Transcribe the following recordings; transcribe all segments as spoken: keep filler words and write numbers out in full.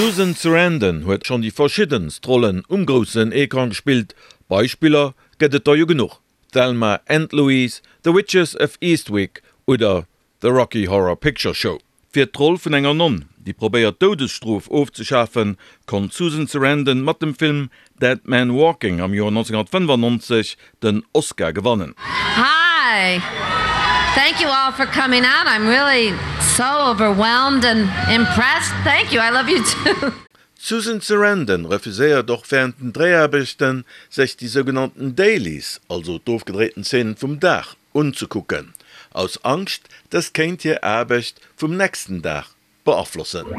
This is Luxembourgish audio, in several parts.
D'Susan Sarandon huet schonn déi verschiddenst Rollen um groussen Ecran gespillt, Beispiller gëtt et der jo genuch, Thelma and Louise, The Witches of Eastwick oder The Rocky Horror Picture Show. Fir d'Roll vun enger Nonn, déi probéiert d'Doudesstrof ofzeschafen, konnt d'Susan Sarandon mat dem Film Dead Man Walking am Joer nonzénghunnertfënnefannonzeg den Oscar gewannen. Hi! Thank you all for coming out. I'm really so overwhelmed and impressed. Thank you. I love you too. D'Susan Sarandon refuséiert och wärend den Dréiaarbechten, sech déi sougenannten Dailies, also d'ofgedréiten Zeenen vum Dag, unzekucken, aus Angscht, dëst kéint hir Aarbecht vum nächsten Dag beaflossen.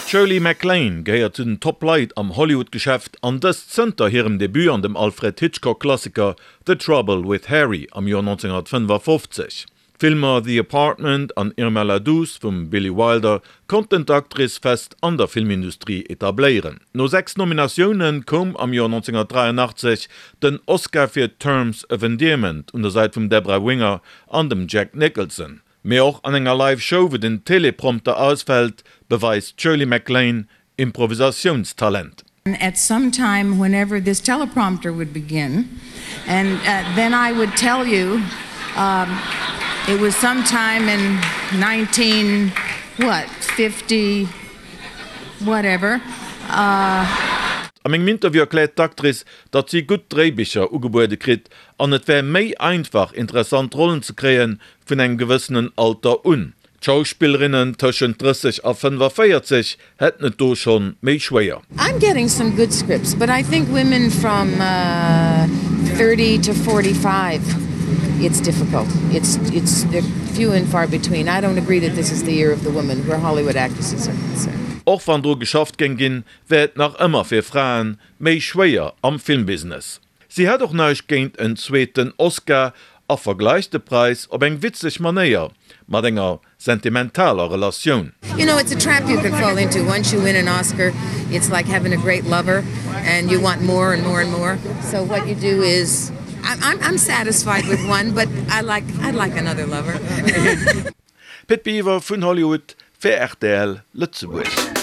D'Shirley MacLaine gehéiert zu den Top-Leit am Hollywood-Geschäft an dëst zënter hirem Debut an dem Alfred Hitchcock-Klassiker The Trouble with Harry am Joer nonzénghunnertfënnefafofzeg. D'Filmer The Apartment an Irma la Douce vum Billy Wilder konnten d'Actrice fest an der Filmindustrie etabléieren. No sechs Nominatioune koum am Joer nonzénghunnertdräianachtzeg den Oscar fir Terms of Endearment un der Säit vum Debra Winger an dem Jack Nicholson. Mee och an enger Live Show, wou den Teleprompter ausfält, beweist d'Shirley MacLaine Improvisatiounstalent. At some time whenever this teleprompter would begin and then I would tell you it was some time in nineteen what fifty whatever. Am engem Interview erkläert d'Actrice, datt si gutt Dréibicher ugebuede kritt an et wär méi einfach, interessant Rollen ze kréie vun engem gewëssenen Alter un. D'Schauspillerinnen tëschent drësseg a fënnefaféierzeg hätten et do schonn méi schwéier. I'm getting some good scripts, but I think women from thirty to forty five it's difficult. It's it's they're few and far between. I don't agree that this is the year of the woman where Hollywood actresses are concerned. Och wann dru geschafft géing ginn, wär et nach ëmmer fir Frae méi schwéier am Filmbusiness. Si hätt och näischt géint en zweeten Oscar a vergläicht de Präis op eng witzeg Manéier mat enger sentimentaler Relatioun. You know, it's a trap you can fall into. Once you win an Oscar, it's like having a great lover and you want more and more and more. So what you do is, I'm I'm satisfied with one, but I like I'd like another lover. Pit Biwer vun Hollywood fir rtl Lëtzebuerg.